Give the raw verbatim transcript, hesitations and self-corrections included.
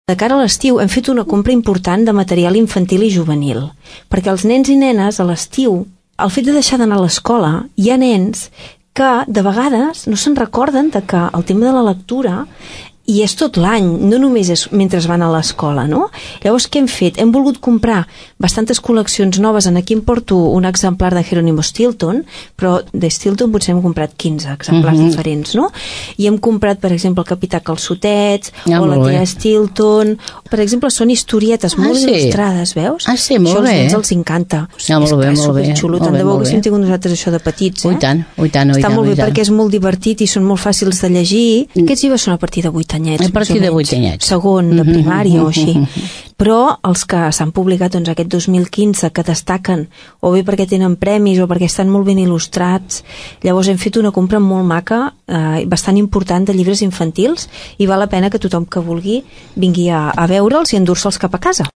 De cara a l'estiu hem fet una compra important de material infantil i juvenil, perquè els nens i nenes a l'estiu, al fet de deixar d'anar a l'escola, hi ha nens que de vegades no se'n recorden de que el tema de la lectura i és tot l'any, no només és mentre van a l'escola, no? Llavors, què hem fet? Hem volgut comprar bastantes col·leccions noves. Aquí em porto un exemplar de Jerónimo Stilton, però de Stilton potser hem comprat quinze exemplars uh-huh. diferents, no? I hem comprat, per exemple, el Capità Calçotets, ja, o la tia Stilton. Per exemple, són historietes molt ah, sí. il·lustrades, veus? Ah, sí, molt això bé. Això als nens els encanta. Ja, molt bé, molt bé. Xulo. Tant de bo haguéssim tingut nosaltres això de petits, eh? Ui tant, ui tant, ui tant. Està molt bé ui tant. perquè és molt divertit i són molt fàcils de llegir. Mm. Aquests llibres són a partir de vuit anyets. A partir de vuit anyets. Segon, de primària o així. Però els que s'han publicat doncs, aquest dos mil quinze, que destaquen o bé perquè tenen premis o perquè estan molt ben il·lustrats, llavors hem fet una compra molt maca, eh, bastant important de llibres infantils, i val la pena que tothom que vulgui vingui a, a veure'ls i endur-se'ls cap a casa.